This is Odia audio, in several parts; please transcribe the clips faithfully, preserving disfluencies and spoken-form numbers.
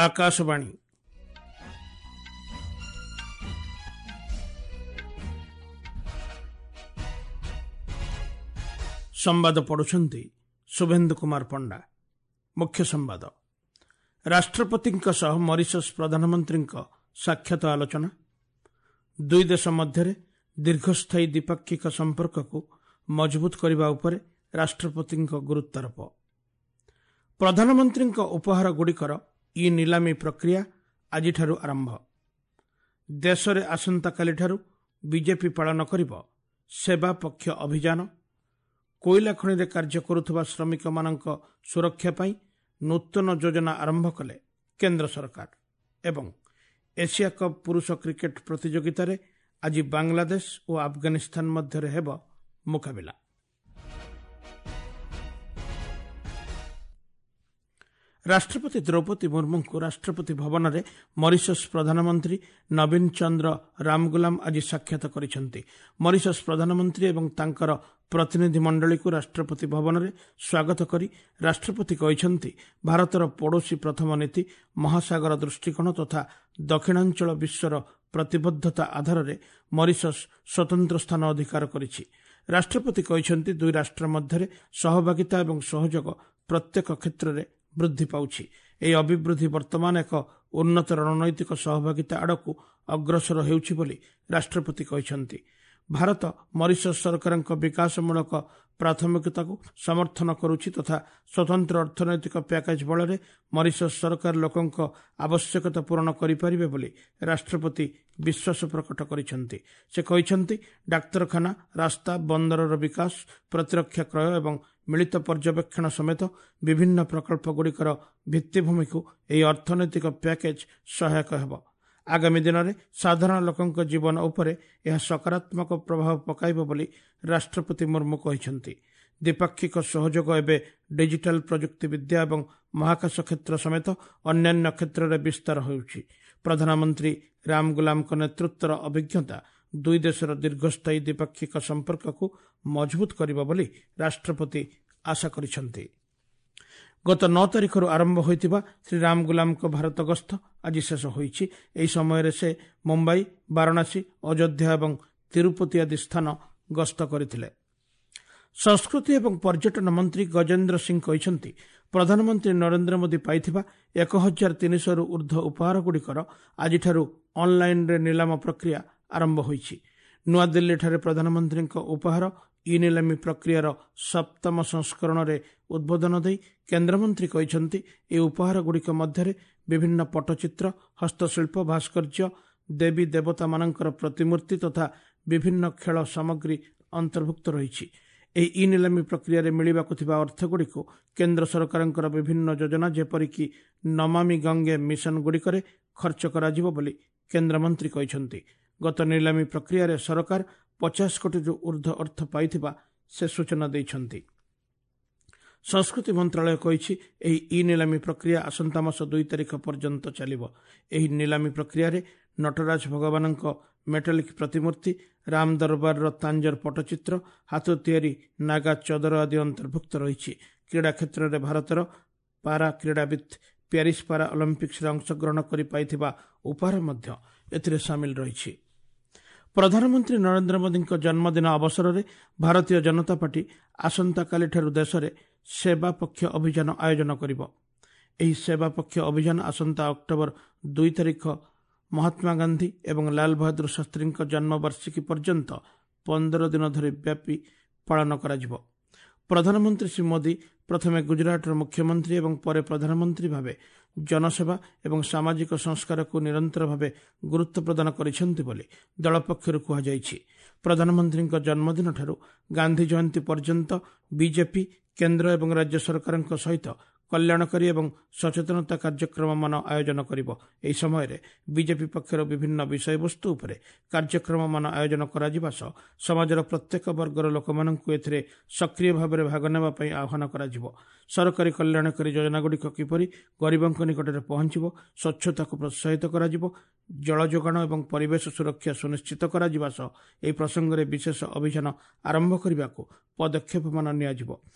ଆକାଶବାଣୀ। ସମ୍ବାଦ ପଢୁଛନ୍ତି ଶୁଭେନ୍ଦୁ କୁମାର ପଣ୍ଡା। ମୁଖ୍ୟ ସମ୍ବାଦ। ରାଷ୍ଟ୍ରପତିଙ୍କ ସହ ମରିସସ୍ ପ୍ରଧାନମନ୍ତ୍ରୀଙ୍କ ସାକ୍ଷାତ ଆଲୋଚନା। ଦୁଇ ଦେଶ ମଧ୍ୟରେ ଦୀର୍ଘସ୍ଥାୟୀ ଦ୍ୱିପାକ୍ଷିକ ସମ୍ପର୍କକୁ ମଜବୁତ କରିବା ଉପରେ ରାଷ୍ଟ୍ରପତିଙ୍କ ଗୁରୁତ୍ୱାରୋପ। ପ୍ରଧାନମନ୍ତ୍ରୀଙ୍କ ଉପହାରଗୁଡ଼ିକର ଇ ନିଲାମୀ ପ୍ରକ୍ରିୟା ଆଜିଠାରୁ ଆରମ୍ଭ। ଦେଶରେ ଆସନ୍ତାକାଲିଠାରୁ ବିଜେପି ପାଳନ କରିବ ସେବା ପକ୍ଷ ଅଭିଯାନ। କୋଇଲା ଖଣିରେ କାର୍ଯ୍ୟ କରୁଥିବା ଶ୍ରମିକମାନଙ୍କ ସୁରକ୍ଷା ପାଇଁ ନୂତନ ଯୋଜନା ଆରମ୍ଭ କଲେ କେନ୍ଦ୍ର ସରକାର। ଏବଂ ଏସିଆ କପ୍ ପୁରୁଷ କ୍ରିକେଟ ପ୍ରତିଯୋଗିତାରେ ଆଜି ବାଂଲାଦେଶ ଓ ଆଫଗାନିସ୍ତାନ ମଧ୍ୟରେ ହେବ ମୁକାବିଲା। ରାଷ୍ଟ୍ରପତି ଦ୍ରୌପଦୀ ମୁର୍ମୁଙ୍କୁ ରାଷ୍ଟ୍ରପତି ଭବନରେ ମରିସସ୍ ପ୍ରଧାନମନ୍ତ୍ରୀ ନବୀନ ଚନ୍ଦ୍ର ରାମଗୁଲାମ ଆଜି ସାକ୍ଷାତ କରିଛନ୍ତି। ମରିସସ୍ ପ୍ରଧାନମନ୍ତ୍ରୀ ଏବଂ ତାଙ୍କର ପ୍ରତିନିଧି ମଣ୍ଡଳୀକୁ ରାଷ୍ଟ୍ରପତି ଭବନରେ ସ୍ୱାଗତ କରି ରାଷ୍ଟ୍ରପତି କହିଛନ୍ତି, ଭାରତର ପଡ଼ୋଶୀ ପ୍ରଥମ ନୀତି, ମହାସାଗର ଦୃଷ୍ଟିକୋଣ ତଥା ଦକ୍ଷିଣାଞ୍ଚଳ ବିଶ୍ୱର ପ୍ରତିବଦ୍ଧତା ଆଧାରରେ ମରିସସ୍ ସ୍ୱତନ୍ତ୍ର ସ୍ଥାନ ଅଧିକାର କରିଛି। ରାଷ୍ଟ୍ରପତି କହିଛନ୍ତି, ଦୁଇ ରାଷ୍ଟ୍ର ମଧ୍ୟରେ ସହଭାଗିତା ଏବଂ ସହଯୋଗ ପ୍ରତ୍ୟେକ କ୍ଷେତ୍ରରେ ବୃଦ୍ଧି ପାଉଛି। ଏହି ଅଭିବୃଦ୍ଧି ବର୍ତ୍ତମାନ ଏକ ଉନ୍ନତ ରଣନୈତିକ ସହଭାଗିତା ଆଡ଼କୁ ଅଗ୍ରସର ହେଉଛି ବୋଲି ରାଷ୍ଟ୍ରପତି କହିଛନ୍ତି। ଭାରତ ମରିସସ୍ ସରକାରଙ୍କ ବିକାଶମୂଳକ ପ୍ରାଥମିକତାକୁ ସମର୍ଥନ କରୁଛି ତଥା ସ୍ୱତନ୍ତ୍ର ଅର୍ଥନୈତିକ ପ୍ୟାକେଜ ବଳରେ ମରିସସ୍ ସରକାର ଲୋକଙ୍କ ଆବଶ୍ୟକତା ପୂରଣ କରିପାରିବେ ବୋଲି ରାଷ୍ଟ୍ରପତି ବିଶ୍ୱାସ ପ୍ରକଟ କରିଛନ୍ତି। ସେ କହିଛନ୍ତି, ଡାକ୍ତରଖାନା, ରାସ୍ତା, ବନ୍ଦରର ବିକାଶ, ପ୍ରତିରକ୍ଷା କ୍ରୟ ଏବଂ ମିଳିତ ପର୍ଯ୍ୟବେକ୍ଷଣ ସମେତ ବିଭିନ୍ନ ପ୍ରକଳ୍ପଗୁଡ଼ିକର ଭିତ୍ତିଭୂମିକୁ ଏହି ଅର୍ଥନୈତିକ ପ୍ୟାକେଜ ସହାୟକ ହେବ। ଆଗାମୀ ଦିନରେ ସାଧାରଣ ଲୋକଙ୍କ ଜୀବନ ଉପରେ ଏହା ସକାରାତ୍ମକ ପ୍ରଭାବ ପକାଇବ ବୋଲି ରାଷ୍ଟ୍ରପତି ମୁର୍ମୁ କହିଛନ୍ତି। ଦ୍ୱିପାକ୍ଷିକ ସହଯୋଗ ଏବେ ଡିଜିଟାଲ ପ୍ରଯୁକ୍ତିବିଦ୍ୟା ଏବଂ ମହାକାଶ କ୍ଷେତ୍ର ସମେତ ଅନ୍ୟାନ୍ୟ କ୍ଷେତ୍ରରେ ବିସ୍ତାର ହେଉଛି। ପ୍ରଧାନମନ୍ତ୍ରୀ ରାମଗୁଲାମଙ୍କ ନେତୃତ୍ୱର ଅଭିଜ୍ଞତା ଦୁଇ ଦେଶର ଦୀର୍ଘସ୍ଥାୟୀ ଦ୍ୱିପାକ୍ଷିକ ସମ୍ପର୍କକୁ ମଜବୁତ କରିବ ବୋଲି ରାଷ୍ଟ୍ରପତି ଆଶା କରିଛନ୍ତି। ଗତ ନଅ ତାରିଖରୁ ଆରମ୍ଭ ହୋଇଥିବା ଶ୍ରୀ ରାମଗୁଲାମଙ୍କ ଭାରତ ଗସ୍ତ ଆଜି ଶେଷ ହୋଇଛି। ଏହି ସମୟରେ ସେ ମୁମ୍ବାଇ, ବାରାଣସୀ, ଅଯୋଧ୍ୟା ଏବଂ ତିରୁପତି ଆଦି ସ୍ଥାନ ଗସ୍ତ କରିଥିଲେ। ସଂସ୍କୃତି ଏବଂ ପର୍ଯ୍ୟଟନ ମନ୍ତ୍ରୀ ଗଜେନ୍ଦ୍ର ସିଂ କହିଛନ୍ତି, ପ୍ରଧାନମନ୍ତ୍ରୀ ନରେନ୍ଦ୍ର ମୋଦି ପାଇଥିବା ଏକ ହଜାର ତିନିଶହରୁ ଉର୍ଦ୍ଧ୍ୱ ଉପହାରଗୁଡ଼ିକର ଆଜିଠାରୁ ଅନ୍ଲାଇନ୍ରେ ନିଲାମ ପ୍ରକ୍ରିୟା ଆରମ୍ଭ ହୋଇଛି। ନୂଆଦିଲ୍ଲୀଠାରେ ପ୍ରଧାନମନ୍ତ୍ରୀଙ୍କ ଉପହାର ଇ ନିଲାମୀ ପ୍ରକ୍ରିୟାର ସପ୍ତମ ସଂସ୍କରଣରେ ଉଦ୍ବୋଧନ ଦେଇ କେନ୍ଦ୍ରମନ୍ତ୍ରୀ କହିଛନ୍ତି, ଏହି ଉପହାରଗୁଡ଼ିକ ମଧ୍ୟରେ ବିଭିନ୍ନ ପଟ୍ଟଚିତ୍ର, ହସ୍ତଶିଳ୍ପ, ଭାସ୍କର୍ଯ୍ୟ, ଦେବୀ ଦେବତାମାନଙ୍କର ପ୍ରତିମୂର୍ତ୍ତି ତଥା ବିଭିନ୍ନ ଖେଳ ସାମଗ୍ରୀ ଅନ୍ତର୍ଭୁକ୍ତ ରହିଛି। ଏହି ଇ ନିଲାମୀ ପ୍ରକ୍ରିୟାରେ ମିଳିବାକୁ ଥିବା ଅର୍ଥଗୁଡ଼ିକୁ କେନ୍ଦ୍ର ସରକାରଙ୍କର ବିଭିନ୍ନ ଯୋଜନା ଯେପରିକି ନମାମି ଗଙ୍ଗେ ମିଶନଗୁଡ଼ିକରେ ଖର୍ଚ୍ଚ କରାଯିବ ବୋଲି କେନ୍ଦ୍ରମନ୍ତ୍ରୀ କହିଛନ୍ତି। ଗତ ନିଲାମୀ ପ୍ରକ୍ରିୟାରେ ସରକାର ପଚାଶ କୋଟିରୁ ଉର୍ଦ୍ଧ୍ୱ ଅର୍ଥ ପାଇଥିବା ସେ ସୂଚନା ଦେଇଛନ୍ତି। ସଂସ୍କୃତି ମନ୍ତ୍ରାଳୟ କହିଛି, ଏହି ଇ ନିଲାମୀ ପ୍ରକ୍ରିୟା ଆସନ୍ତା ମାସ ଦୁଇ ତାରିଖ ପର୍ଯ୍ୟନ୍ତ ଚାଲିବ। ଏହି ନିଲାମୀ ପ୍ରକ୍ରିୟାରେ ନଟରାଜ ଭଗବାନଙ୍କ ମେଟାଲିକ୍ ପ୍ରତିମୂର୍ତ୍ତି, ରାମ ଦରବାରର ତାଞ୍ଜର ପଟ୍ଟଚିତ୍ର, ହାତ ତିଆରି ନାଗା ଚଦର ଆଦି ଅନ୍ତର୍ଭୁକ୍ତ ରହିଛି। କ୍ରୀଡ଼ା କ୍ଷେତ୍ରରେ ଭାରତର ପାରା କ୍ରୀଡ଼ାବିତ୍ ପ୍ୟାରିସ୍ ପାରା ଅଲିମ୍ପିକ୍ସରେ ଅଂଶଗ୍ରହଣ କରି ପାଇଥିବା ଉପହାର ମଧ୍ୟ ଏଥିରେ ସାମିଲ ରହିଛି। ପ୍ରଧାନମନ୍ତ୍ରୀ ନରେନ୍ଦ୍ର ମୋଦିଙ୍କ ଜନ୍ମଦିନ ଅବସରରେ ଭାରତୀୟ ଜନତା ପାର୍ଟି ଆସନ୍ତାକାଲିଠାରୁ ଦେଶରେ ସେବା ପକ୍ଷ ଅଭିଯାନ ଆୟୋଜନ କରିବ। ଏହି ସେବା ପକ୍ଷ ଅଭିଯାନ ଆସନ୍ତା ଅକ୍ଟୋବର ଦୁଇ ତାରିଖ ମହାତ୍ମା ଗାନ୍ଧୀ ଏବଂ ଲାଲ ବାହାଦୁର ଶାସ୍ତ୍ରୀଙ୍କ ଜନ୍ମବାର୍ଷିକୀ ପର୍ଯ୍ୟନ୍ତ ପନ୍ଦର ଦିନ ଧରି ବ୍ୟାପୀ ପାଳନ କରାଯିବ। ପ୍ରଧାନମନ୍ତ୍ରୀ ଶ୍ରୀ ମୋଦି ପ୍ରଥମେ ଗୁଜରାଟର ମୁଖ୍ୟମନ୍ତ୍ରୀ ଏବଂ ପରେ ପ୍ରଧାନମନ୍ତ୍ରୀ ଭାବେ ଜନସେବା ଏବଂ ସାମାଜିକ ସଂସ୍କାରକୁ ନିରନ୍ତର ଭାବେ ଗୁରୁତ୍ୱ ପ୍ରଦାନ କରିଛନ୍ତି ବୋଲି ଦଳ ପକ୍ଷରୁ କୁହାଯାଇଛି। ପ୍ରଧାନମନ୍ତ୍ରୀଙ୍କ ଜନ୍ମଦିନଠାରୁ ଗାନ୍ଧୀ ଜୟନ୍ତୀ ପର୍ଯ୍ୟନ୍ତ ବିଜେପି କେନ୍ଦ୍ର ଏବଂ ରାଜ୍ୟ ସରକାରଙ୍କ ସହିତ କଲ୍ୟାଣକାରୀ ଏବଂ ସଚେତନତା କାର୍ଯ୍ୟକ୍ରମମାନ ଆୟୋଜନ କରିବ। ଏହି ସମୟରେ ବିଜେପି ପକ୍ଷରୁ ବିଭିନ୍ନ ବିଷୟବସ୍ତୁ ଉପରେ କାର୍ଯ୍ୟକ୍ରମମାନ ଆୟୋଜନ କରାଯିବା ସହ ସମାଜର ପ୍ରତ୍ୟେକ ବର୍ଗର ଲୋକମାନଙ୍କୁ ଏଥିରେ ସକ୍ରିୟ ଭାବରେ ଭାଗ ନେବା ପାଇଁ ଆହ୍ୱାନ କରାଯିବ। ସରକାରୀ କଲ୍ୟାଣକାରୀ ଯୋଜନାଗୁଡ଼ିକ କିପରି ଗରିବଙ୍କ ନିକଟରେ ପହଞ୍ଚିବ, ସ୍ୱଚ୍ଛତାକୁ ପ୍ରୋତ୍ସାହିତ କରାଯିବ, ଜଳ ଯୋଗାଣ ଏବଂ ପରିବେଶ ସୁରକ୍ଷା ସୁନିଶ୍ଚିତ କରାଯିବା ସହ ଏହି ପ୍ରସଙ୍ଗରେ ବିଶେଷ ଅଭିଯାନ ଆରମ୍ଭ କରିବାକୁ ପଦକ୍ଷେପମାନ ନିଆଯିବ।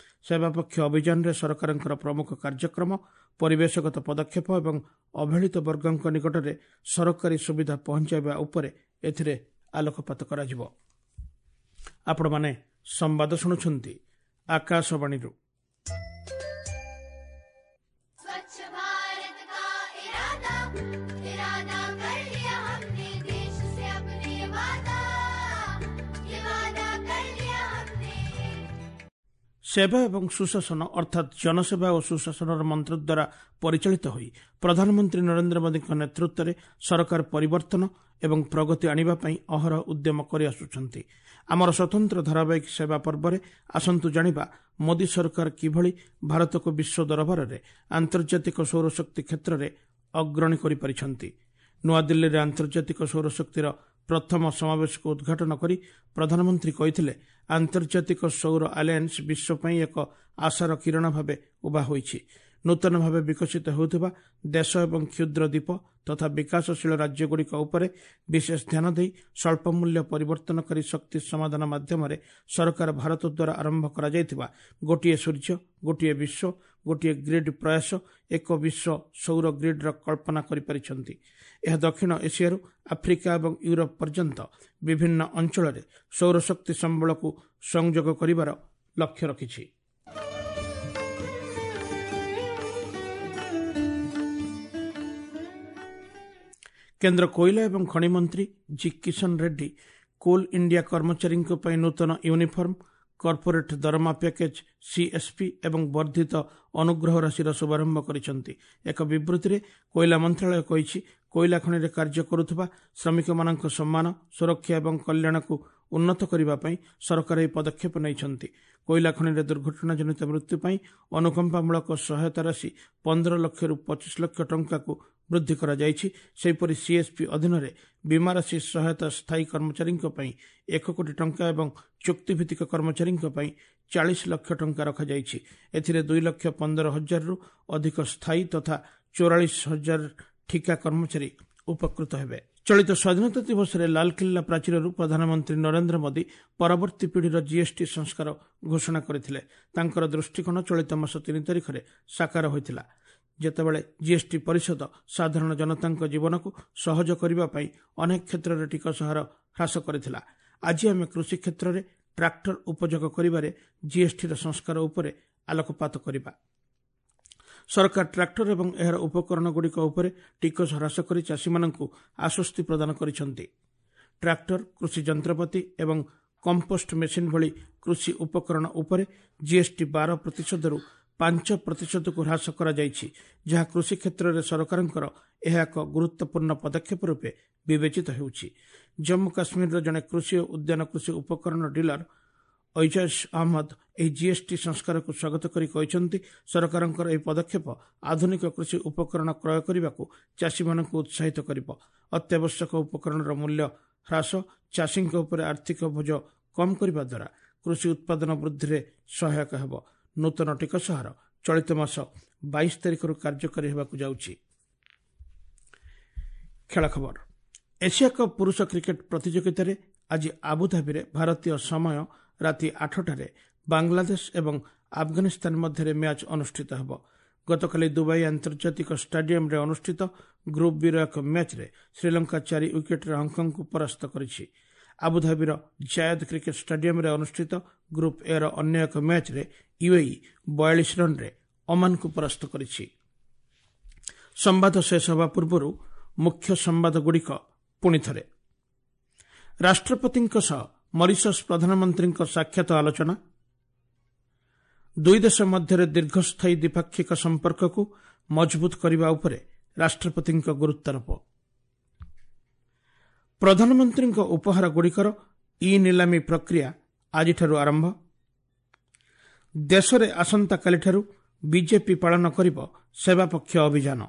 ସେବା ପକ୍ଷ ଅଭିଯାନରେ ସରକାରଙ୍କର ପ୍ରମୁଖ କାର୍ଯ୍ୟକ୍ରମ, ପରିବେଶଗତ ପଦକ୍ଷେପ ଏବଂ ଅବହେଳିତ ବର୍ଗଙ୍କ ନିକଟରେ ସରକାରୀ ସୁବିଧା ପହଞ୍ଚାଇବା ଉପରେ ଏଥିରେ ଆଲୋକପାତ କରାଯିବ। ଆପଣମାନେ ସମ୍ବାଦ ଶୁଣୁଛନ୍ତି ଆକାଶବାଣୀରୁ। स्वच्छ भारत का इरादा इरादा कर लिया हमने देश से अपने वादा ये वादा कर लिया हमने। ସେବା ଏବଂ ସୁଶାସନ ଅର୍ଥାତ୍ ଜନସେବା ଓ ସୁଶାସନର ମନ୍ତ୍ର ଦ୍ୱାରା ପରିଚାଳିତ ହୋଇ ପ୍ରଧାନମନ୍ତ୍ରୀ ନରେନ୍ଦ୍ର ମୋଦୀଙ୍କ ନେତୃତ୍ୱରେ ସରକାର ପରିବର୍ତ୍ତନ ଏବଂ ପ୍ରଗତି ଆଣିବା ପାଇଁ ଅହରହ ଉଦ୍ୟମ କରିଆସୁଛନ୍ତି। ଆମର ସ୍ୱତନ୍ତ୍ର ଧାରାବାହିକ ସେବା ପର୍ବରେ ଆସନ୍ତୁ ଜାଣିବା ମୋଦୀ ସରକାର କିଭଳି ଭାରତକୁ ବିଶ୍ୱ ଦରବାରରେ ଆନ୍ତର୍ଜାତିକ ସୌରଶକ୍ତି କ୍ଷେତ୍ରରେ ଅଗ୍ରଣୀ କରିପାରିଛନ୍ତି। ନୂଆଦିଲ୍ଲୀରେ ଆନ୍ତର୍ଜାତିକ ସୌରଶକ୍ତିର ପ୍ରଥମ ସମାବେଶକୁ ଉଦ୍ଘାଟନ କରି ପ୍ରଧାନମନ୍ତ୍ରୀ କହିଥିଲେ, ଆନ୍ତର୍ଜାତିକ ସୌର ଆଲାଏନ୍ସ ବିଶ୍ୱ ପାଇଁ ଏକ ଆଶାର କିରଣ ଭାବେ ଉଭା ହୋଇଛି। ନୂତନ ଭାବେ ବିକଶିତ ହେଉଥିବା ଦେଶ ଏବଂ କ୍ଷୁଦ୍ର ଦ୍ୱୀପ ତଥା ବିକାଶଶୀଳ ରାଜ୍ୟଗୁଡ଼ିକ ଉପରେ ବିଶେଷ ଧ୍ୟାନ ଦେଇ ସ୍ୱଳ୍ପ ମୂଲ୍ୟ ପରିବର୍ତ୍ତନକାରୀ ଶକ୍ତି ସମାଧାନ ମାଧ୍ୟମରେ ସରକାର ଭାରତ ଦ୍ୱାରା ଆରମ୍ଭ କରାଯାଇଥିବା ଗୋଟିଏ ସୂର୍ଯ୍ୟ, ଗୋଟିଏ ବିଶ୍ୱ, ଗୋଟିଏ ଗ୍ରିଡ୍ ପ୍ରୟାସ ଏକ ବିଶ୍ୱ ସୌର ଗ୍ରିଡ୍ର କଳ୍ପନା କରିପାରିଛନ୍ତି। ଏହା ଦକ୍ଷିଣ ଏସିଆରୁ ଆଫ୍ରିକା ଏବଂ ୟୁରୋପ ପର୍ଯ୍ୟନ୍ତ ବିଭିନ୍ନ ଅଞ୍ଚଳରେ ସୌରଶକ୍ତି ସମ୍ବଳକୁ ସଂଯୋଗ କରିବାର ଲକ୍ଷ୍ୟ ରଖିଛି। କେନ୍ଦ୍ର କୋଇଲା ଏବଂ ଖଣି ମନ୍ତ୍ରୀ G Kishan Reddy coal India କର୍ମଚାରୀଙ୍କ ପାଇଁ ନୂତନ ୟୁନିଫର୍ମ, କର୍ପୋରେଟ୍ ଦରମା ପ୍ୟାକେଜ୍ ସିଏସ୍ପି ଏବଂ ବର୍ଦ୍ଧିତ ଅନୁଗ୍ରହ ରାଶିର ଶୁଭାରମ୍ଭ କରିଛନ୍ତି। ଏକ ବିବୃତ୍ତିରେ କୋଇଲା ମନ୍ତ୍ରଣାଳୟ କହିଛି, କୋଇଲା ଖଣିରେ କାର୍ଯ୍ୟ କରୁଥିବା ଶ୍ରମିକମାନଙ୍କ ସମ୍ମାନ, ସୁରକ୍ଷା ଏବଂ କଲ୍ୟାଣକୁ ଉନ୍ନତ କରିବା ପାଇଁ ସରକାର ଏହି ପଦକ୍ଷେପ ନେଇଛନ୍ତି। କୋଇଲା ଖଣିରେ ଦୁର୍ଘଟଣାଜନିତ ମୃତ୍ୟୁ ପାଇଁ ଅନୁକମ୍ପାମୂଳକ ସହାୟତା ରାଶି ପନ୍ଦର ଲକ୍ଷରୁ ପଚିଶ ଲକ୍ଷ ଟଙ୍କାକୁ ବୃଦ୍ଧି କରାଯାଇଛି। ସେହିପରି ସିଏସ୍ପି ଅଧୀନରେ ବୀମା ରାଶି ସହାୟତା ସ୍ଥାୟୀ କର୍ମଚାରୀଙ୍କ ପାଇଁ ଏକ କୋଟି ଟଙ୍କା ଏବଂ ଚୁକ୍ତିଭିତ୍ତିକ କର୍ମଚାରୀଙ୍କ ପାଇଁ ଚାଳିଶ ଲକ୍ଷ ଟଙ୍କା ରଖାଯାଇଛି। ଏଥିରେ ଦୁଇ ଲକ୍ଷ ପନ୍ଦର ହଜାରରୁ ଅଧିକ ସ୍ଥାୟୀ ତଥା ଚଉରାଳିଶ ହଜାର ଠିକା କର୍ମଚାରୀ ଉପକୃତ ହେବେ। ଚଳିତ ସ୍ୱାଧୀନତା ଦିବସରେ ଲାଲକିଲ୍ଲା ପ୍ରାଚୀରରୁ ପ୍ରଧାନମନ୍ତ୍ରୀ ନରେନ୍ଦ୍ର ମୋଦୀ ପରବର୍ତ୍ତୀ ପିଢ଼ିର ଜିଏସ୍ଟି ସଂସ୍କାର ଘୋଷଣା କରିଥିଲେ। ତାଙ୍କର ଦୃଷ୍ଟିକୋଣ ଚଳିତ ମାସ ତିନି ତାରିଖରେ ସାକାର ହୋଇଥିଲା, ଯେତେବେଳେ ଜିଏସ୍ଟି ପରିଷଦ ସାଧାରଣ ଜନତାଙ୍କ ଜୀବନକୁ ସହଜ କରିବା ପାଇଁ ଅନେକ କ୍ଷେତ୍ରରେ ଟିକସ ହାର ହ୍ରାସ କରିଥିଲା। ଆଜି ଆମେ କୃଷି କ୍ଷେତ୍ରରେ ଟ୍ରାକ୍ଟର ଉପଯୋଗ କରିବାରେ ଜିଏସ୍ଟିର ସଂସ୍କାର ଉପରେ ଆଲୋକପାତ କରିବା। ସରକାର ଟ୍ରାକ୍ଟର ଏବଂ ଏହାର ଉପକରଣଗୁଡ଼ିକ ଉପରେ ଟିକସ ହ୍ରାସ କରି ଚାଷୀମାନଙ୍କୁ ଆଶ୍ୱସ୍ତି ପ୍ରଦାନ କରିଛନ୍ତି। ଟ୍ରାକ୍ଟର, କୃଷି ଯନ୍ତ୍ରପାତି ଏବଂ କମ୍ପୋଷ୍ଟ ମେସିନ୍ ଭଳି କୃଷି ଉପକରଣ ଉପରେ ଜିଏସ୍ଟି ବାର ପ୍ରତିଶତରୁ ପାଞ୍ଚ ପ୍ରତିଶତକୁ ହ୍ରାସ କରାଯାଇଛି, ଯାହା କୃଷି କ୍ଷେତ୍ରରେ ସରକାରଙ୍କର ଏହା ଏକ ଗୁରୁତ୍ୱପୂର୍ଣ୍ଣ ପଦକ୍ଷେପ ରୂପେ ବିବେଚିତ ହେଉଛି। ଜମ୍ମୁ କାଶ୍ମୀରର ଜଣେ କୃଷି ଓ ଉଦ୍ୟାନ କୃଷି ଉପକରଣ ଡିଲର ଐଜାଜ ଅହମ୍ମଦ ଏହି ଜିଏସ୍ଟି ସଂସ୍କାରକୁ ସ୍ୱାଗତ କରି କହିଛନ୍ତି, ସରକାରଙ୍କର ଏହି ପଦକ୍ଷେପ ଆଧୁନିକ କୃଷି ଉପକରଣ କ୍ରୟ କରିବାକୁ ଚାଷୀମାନଙ୍କୁ ଉତ୍ସାହିତ କରିବ। ଅତ୍ୟାବଶ୍ୟକ ଉପକରଣର ମୂଲ୍ୟ ହ୍ରାସ ଚାଷୀଙ୍କ ଉପରେ ଆର୍ଥିକ ବୋଝ କମ୍ କରିବା ଦ୍ୱାରା କୃଷି ଉତ୍ପାଦନ ବୃଦ୍ଧିରେ ସହାୟକ ହେବ। ନୂତନ ଟିକସ ହାର ଚଳିତ ମାସ ବାଇଶ ତାରିଖରୁ କାର୍ଯ୍ୟକାରୀ ହେବାକୁ ଯାଉଛି। ଖେଳ ଖବର। ଏସିଆ କପ୍ ପୁରୁଷ କ୍ରିକେଟ୍ ପ୍ରତିଯୋଗିତାରେ ଆଜି ଆବୁଧାବିରେ ଭାରତୀୟ ସମୟ ରାତି ଆଠଟାରେ ବାଂଲାଦେଶ ଏବଂ ଆଫଗାନିସ୍ତାନ ମଧ୍ୟରେ ମ୍ୟାଚ୍ ଅନୁଷ୍ଠିତ ହେବ। ଗତକାଲି ଦୁବାଇ ଆନ୍ତର୍ଜାତିକ ଷ୍ଟାଡିୟମରେ ଅନୁଷ୍ଠିତ ଗ୍ରୁପ୍ ବିର ଏକ ମ୍ୟାଚ୍ରେ ଶ୍ରୀଲଙ୍କା ଚାରି ୱିକେଟ୍ରେ ହଂକଂକୁ ପରାସ୍ତ କରିଛି। ଆବୁଧାବିର ଜାୟଦ କ୍ରିକେଟ୍ ଷ୍ଟାଡିୟମରେ ଅନୁଷ୍ଠିତ ଗ୍ରୁପ୍ ଏର ଅନ୍ୟ ଏକ ମ୍ୟାଚ୍ରେ ୟୁଏଇ ବୟାଳିଶ ରନ୍ରେ ଓମାନକୁ ପରାସ୍ତ କରିଛି। ସମ୍ବାଦ ଶେଷ ହେବା ପୂର୍ବରୁ ମୁଖ୍ୟ ସମ୍ବାଦଗୁଡ଼ିକ ପୁଣିଥରେ। ରାଷ୍ଟ୍ରପତିଙ୍କ ସହ ମରିସସ୍ ପ୍ରଧାନମନ୍ତ୍ରୀଙ୍କ ସାକ୍ଷାତ ଆଲୋଚନା। ଦୁଇ ଦେଶ ମଧ୍ୟରେ ଦୀର୍ଘସ୍ଥାୟୀ ଦ୍ୱିପାକ୍ଷିକ ସମ୍ପର୍କକୁ ମଜବୁତ କରିବା ଉପରେ ରାଷ୍ଟ୍ରପତିଙ୍କ ଗୁରୁତ୍ୱାରୋପ। ପ୍ରଧାନମନ୍ତ୍ରୀଙ୍କ ଉପହାରଗୁଡ଼ିକର ଇ ନିଲାମୀ ପ୍ରକ୍ରିୟା ଆଜିଠାରୁ ଆରମ୍ଭ। ଦେଶରେ ଆସନ୍ତାକାଲିଠାରୁ ବିଜେପି ପାଳନ କରିବ ସେବାପକ୍ଷ ଅଭିଯାନ।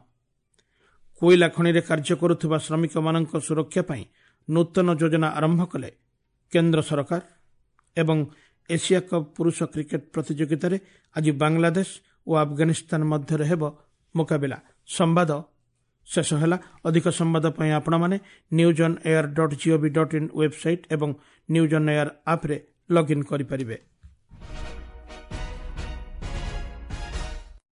କୋଇଲା ଖଣିରେ କାର୍ଯ୍ୟ କରୁଥିବା ଶ୍ରମିକମାନଙ୍କ ସୁରକ୍ଷା ପାଇଁ ନୂତନ ଯୋଜନା ଆରମ୍ଭ କଲେ କେନ୍ଦ୍ର ସରକାର। ଏବଂ ଏସିଆ କପ୍ ପୁରୁଷ କ୍ରିକେଟ୍ ପ୍ରତିଯୋଗିତାରେ ଆଜି ବାଂଲାଦେଶ ଓ ଆଫଗାନିସ୍ତାନ ମଧ୍ୟରେ ହେବ ମୁକାବିଲା। ସମ୍ବାଦ ଶେଷ ହେଲା। ଅଧିକ ସମ୍ବାଦ ପାଇଁ ଆପଣମାନେ news on air dot gov dot in website ଏବଂ ନ୍ୟୁଜ୍ ଅନ୍ ଏୟାର ଆପ୍ରେ ଲଗ୍ଇନ୍ କରିପାରିବେ।